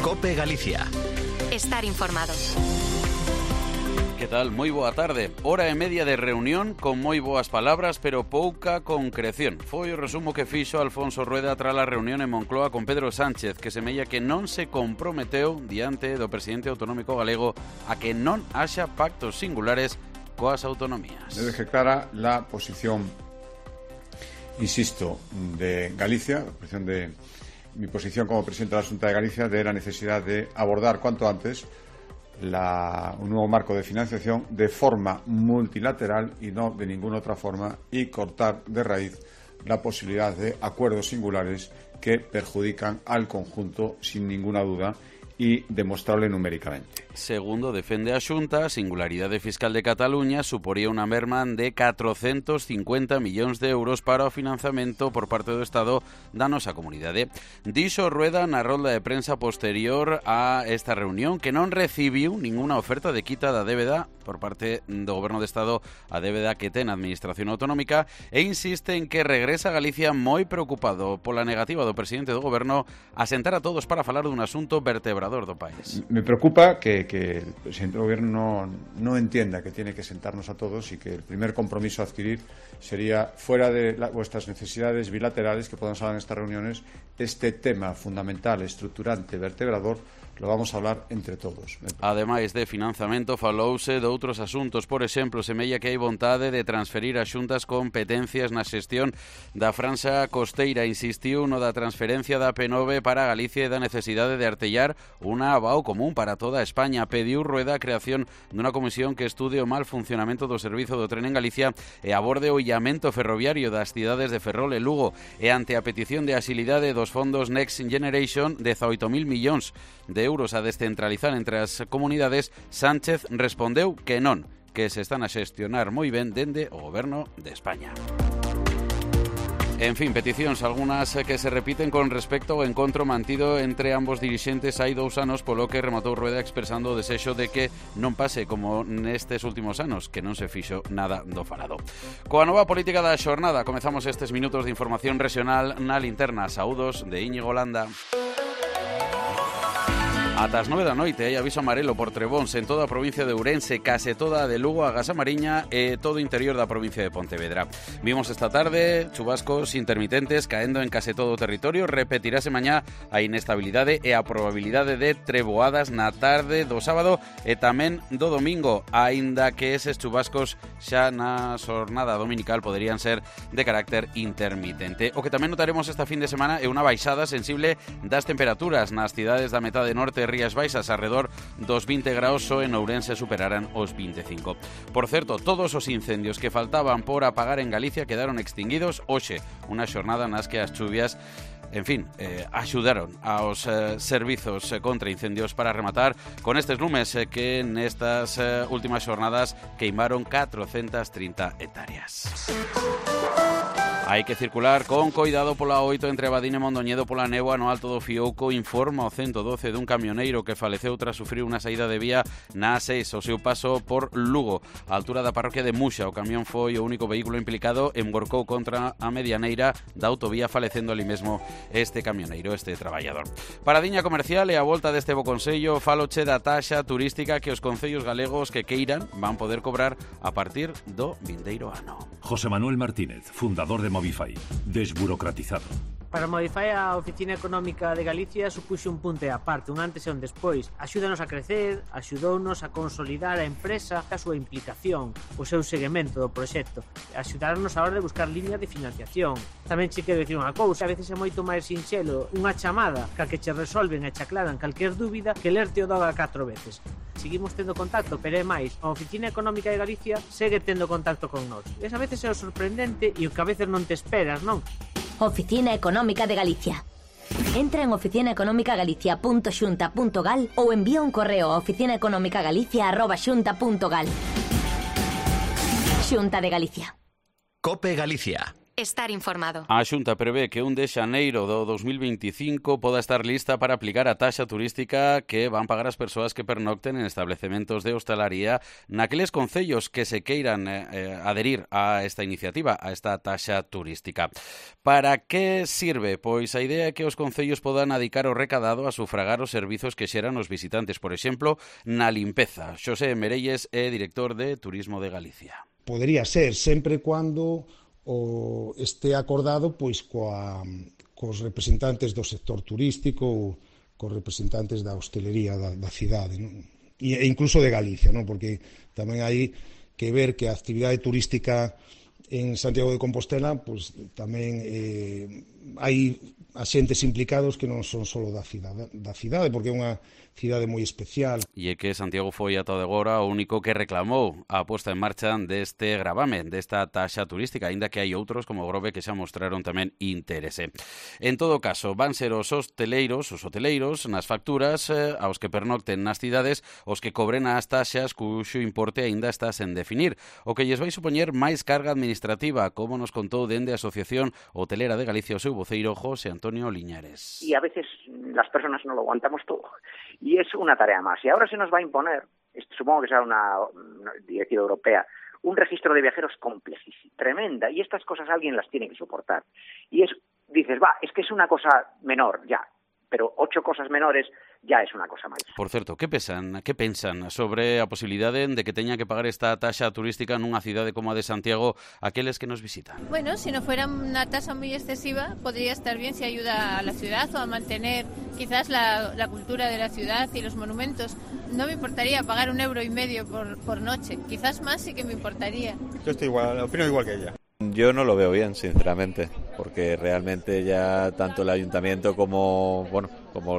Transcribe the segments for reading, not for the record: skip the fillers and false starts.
COPE Galicia. Estar informado. Que tal? Moi boa tarde. Hora e media de reunión con moi boas palabras, pero pouca concreción. Foi o resumo que fixo Alfonso Rueda tras a reunión en Moncloa con Pedro Sánchez, que semella que non se comprometeu diante do presidente autonómico galego a que non haxa pactos singulares coas autonomías. Debe clara la posición, insisto, de Galicia, la posición de mi posición como presidente de la Xunta de Galicia, de la necesidad de abordar cuanto antes un nuevo marco de financiación de forma multilateral y no de ninguna otra forma, y cortar de raíz la posibilidad de acuerdos singulares que perjudican al conjunto sin ninguna duda y demostrable numéricamente. Segundo defende a Xunta, a singularidade fiscal de Cataluña suporía unha merma de 450 millóns de euros para o financiamento por parte do Estado da nosa comunidade. Dixo Rueda na rolda de prensa posterior a esta reunión que non recibiu ninguna oferta de quita da débeda por parte do Goberno de Estado, a débeda que ten a Administración Autonómica, e insiste en que regresa a Galicia moi preocupado pola negativa do presidente do Goberno a sentar a todos para falar dun asunto vertebrador do país. Me preocupa que el presidente del Gobierno no entienda que tiene que sentarnos a todos y que el primer compromiso a adquirir sería, fuera de vuestras necesidades bilaterales que podamos hablar en estas reuniones, este tema fundamental, estruturante, vertebrador, lo vamos a hablar entre todos. Ademais de financiamento, falouse de outros asuntos. Por exemplo, semella que hai vontade de transferir a xuntas competencias na xestión da franxa costeira. Insistiu no da transferencia da P9 para Galicia e da necesidade de artellar unha ABAO común para toda España. Pediu Rueda a creación dunha comisión que estude o mal funcionamento do servizo do tren en Galicia e aborde o illamento ferroviario das cidades de Ferrol e Lugo. E ante a petición de axilidade dos fondos Next Generation, 18.000 millóns de euros a descentralizar entre as comunidades, Sánchez respondeu que non, que se están a xestionar moi ben dende o Goberno de España. En fin, peticións algunhas que se repiten con respecto ao encontro mantido entre ambos dirixentes hai 2 anos, polo que rematou Rueda expresando o desexo de que non pase como nestes últimos anos, que non se fixo nada do falado. Coa nova política da xornada comezamos estes minutos de información regional na linterna. Saúdos de Íñigo Landa. Ata as 9 da noite hai aviso amarelo por trebóns en toda a provincia de Ourense, case toda a de Lugo, a Gasamariña e todo o interior da provincia de Pontevedra. Vimos esta tarde chubascos intermitentes caendo en case todo o territorio. Repetirase mañá a inestabilidade e a probabilidade de treboadas na tarde do sábado e tamén do domingo, aínda que eses chubascos xa na xornada dominical poderían ser de carácter intermitente. O que tamén notaremos esta fin de semana é unha baixada sensible das temperaturas nas cidades da metade norte e Rías Baixas, alrededor dos 20 graus, o en Ourense superarán os 25. Por certo, todos os incendios que faltaban por apagar en Galicia quedaron extinguidos hoxe, unha xornada nas que as chuvias axudaron aos servizos contra incendios para rematar con estes lumes que nestas últimas xornadas queimaron 430 hectáreas. Hai que circular con coidado pola 8 entre Abadín e Mondoñedo pola néboa no Alto do Fiouco. Informa o 112 dun camioneiro que faleceu tras sufrir unha saída de vía na A6 ao seu paso por Lugo. A altura da parroquia de Muxa, o camión foi o único vehículo implicado, emborcou contra a medianeira da autovía, falecendo ali mesmo este camioneiro, este traballador. Paradiña comercial e a volta deste bo consello, faloche da taxa turística que os concellos galegos que queiran van poder cobrar a partir do vindeiro ano. José Manuel Martínez, fundador de Movify. Desburocratizado. Para Movify, a Oficina Económica de Galicia supuxo un punto e aparte, un antes e un despois. Axúdanos a crecer, axudounos a consolidar a empresa, a súa implicación, o seu seguimento do proxecto, axudarnos a hora de buscar líneas de financiación. Tamén che quero dicir unha cousa, a veces é moito máis sinxelo unha chamada que che resolven e che aclaran calquer dúbida que lerte o doga 4 veces. Seguimos tendo contacto, pero é máis, a Oficina Económica de Galicia segue tendo contacto con nós. E a veces é o sorprendente e o que a veces non te esperas, non? Oficina Económica de Galicia. Entra en oficinaeconomicagalicia.xunta.gal ou envía un correo a oficinaeconomicagalicia@xunta.gal. Xunta de Galicia. COPE Galicia. Estar informado. A Xunta prevé que 1 de xaneiro do 2025 poda estar lista para aplicar a taxa turística que van pagar as persoas que pernocten en establecementos de hostalaría naqueles concellos que se queiran adherir a esta iniciativa, a esta taxa turística. Para que sirve? Pois a idea é que os concellos podan adicar o recadado a sufragar os servizos que xeran os visitantes, por exemplo, na limpeza. Xosé Merelles é director de Turismo de Galicia. Podería ser, sempre cuando este acordado pois cos representantes do sector turístico ou cos representantes da hostelería da cidade, non? E incluso de Galicia, non? Porque tamén hai que ver que a actividade turística en Santiago de Compostela pois tamén hai axentes implicados que non son só da cidade, porque é unha cidade moi especial. E é que Santiago foi ata de agora o único que reclamou a posta en marcha deste gravamen, desta taxa turística, aínda que hai outros como Grove que xa mostraron tamén interese. En todo caso, van ser os hoteleiros nas facturas aos que pernocten nas cidades os que cobren as taxas cuxo importe aínda está sen definir, o que lles vai supoñer máis carga administrativa, como nos contou dende a Asociación Hotelera de Galicia o seu voceiro José Antonio Liñares. Y a veces las personas no lo aguantamos todo. Y es una tarea más. Y ahora se nos va a imponer, supongo que será una directiva europea, un registro de viajeros complejísimo, tremenda. Y estas cosas alguien las tiene que soportar. Y dices, es que es una cosa menor, ya. Pero 8 cosas menores ya es una cosa máis. Por certo, que pensan sobre a posibilidade de que teña que pagar esta taxa turística nunha cidade como a de Santiago aqueles que nos visitan? Bueno, si no fuera una tasa muy excesiva, podría estar bien si ayuda a la ciudad o a mantener quizás la cultura de la ciudad y los monumentos. No me importaría pagar 1,5 € por noche. Quizás más sí que me importaría. Yo estoy igual, opino igual que ella. Yo no lo veo bien, sinceramente, porque realmente ya tanto el ayuntamiento como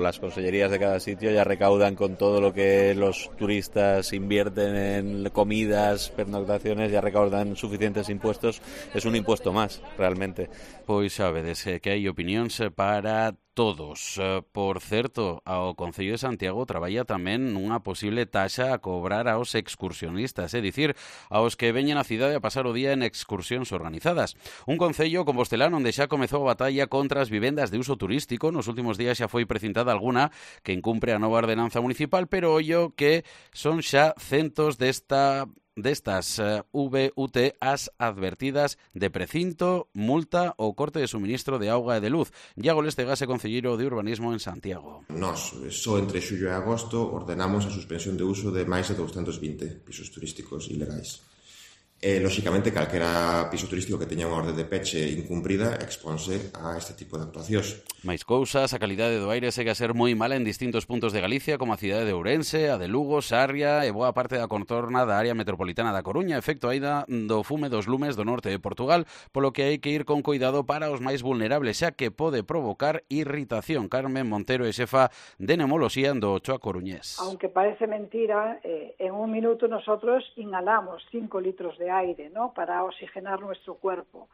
las consellerías de cada sitio ya recaudan con todo lo que los turistas invierten en comidas, pernoctaciones, ya recaudan suficientes impuestos, es un impuesto más, realmente. Pois sabedes que hai opinións para todos. Por certo, ao Concello de Santiago traballa tamén nunha posible taxa a cobrar aos excursionistas, é dicir, aos que veñen á cidade a pasar o día en excursións organizadas. Un concello compostelán onde xa comezou a batalla contra as vivendas de uso turístico. Nos últimos días xa foi precintada alguna que incumpre a nova ordenanza municipal, pero ollo que son xa centos destas VUT as advertidas de precinto, multa ou corte de suministro de auga e de luz. Iago Lestegas é concelleiro de Urbanismo en Santiago. Nós, só entre xullo e agosto, ordenamos a suspensión de uso de máis de 220 pisos turísticos ilegais. Lóxicamente, calquera piso turístico que teña unha orde de peche incumprida exponse a este tipo de actuacións. Máis cousas, a calidade do aire segue a ser moi mala en distintos puntos de Galicia, como a cidade de Ourense, a de Lugo, Sarria e boa parte da contorna da área metropolitana da Coruña, efecto aínda do fume dos lumes do norte de Portugal, polo que hai que ir con cuidado para os máis vulnerables, xa que pode provocar irritación. Carmen Montero é xefa de Neumoloxía do Ochoa Coruñés. Aunque parece mentira, en un minuto nosotros inhalamos 5 litros de aire, ¿no?, para oxigenar nuestro cuerpo.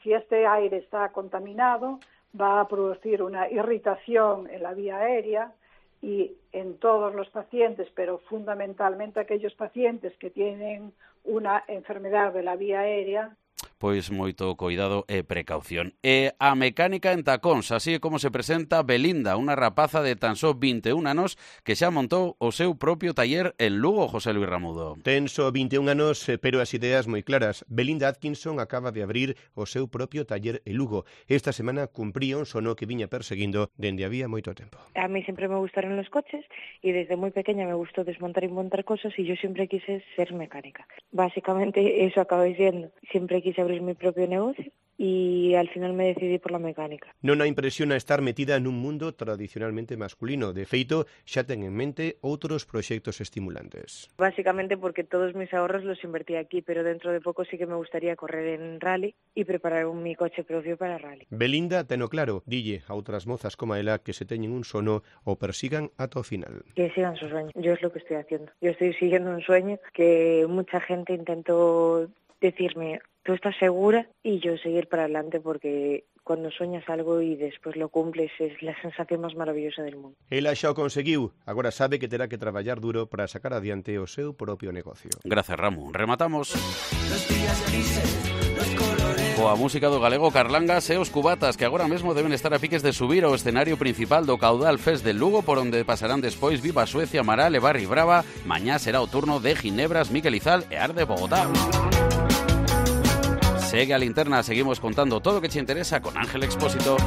Si este aire está contaminado, va a producir una irritación en la vía aérea y en todos los pacientes, pero fundamentalmente aquellos pacientes que tienen una enfermedad de la vía aérea. Pois moito cuidado e precaución. E a mecánica en tacóns, así é como se presenta Belinda, unha rapaza de tan só 21 anos que xa montou o seu propio taller en Lugo, José Luis Ramudo. Ten só 21 anos, pero as ideas moi claras. Belinda Atkinson acaba de abrir o seu propio taller en Lugo. Esta semana cumpría un sono que viña perseguindo dende había moito tempo. A mí sempre me gustaron los coches e desde moi pequeña me gustou desmontar e montar cosas e yo sempre quise ser mecánica. Básicamente eso acabei siendo. Siempre quise abrir mi propio negocio y al final me decidí por la mecánica. Non a impresiona estar metida nun mundo tradicionalmente masculino. De feito, xa ten en mente outros proxectos estimulantes. Básicamente porque todos mis ahorros los invertí aquí, pero dentro de poco sí que me gustaría correr en rally y preparar mi coche propio para rally. Belinda teno claro, dille a outras mozas como ela que se teñen un sono o persigan ata o final. Que sigan su sueño. Yo es lo que estoy haciendo. Yo estoy siguiendo un sueño que mucha gente intentó decirme, tú estás segura, y yo seguir para adelante porque cuando sueñas algo y después lo cumples es la sensación más maravillosa del mundo. Ela xa o conseguiu, agora sabe que terá que traballar duro para sacar adiante o seu propio negocio. Gracias, Ramu. Rematamos. coa música do galego Carlangas e os Cubatas, que agora mesmo deben estar a piques de subir ao escenario principal do Caudal Fest de Lugo, por onde pasarán despois Viva Suecia, Amaral e Barri Brava. Mañá será o turno de Ginebras, Miquel Izal e Arde Bogotá. Segue a Linterna, seguimos contando todo o que te interesa con Ángel Expósito.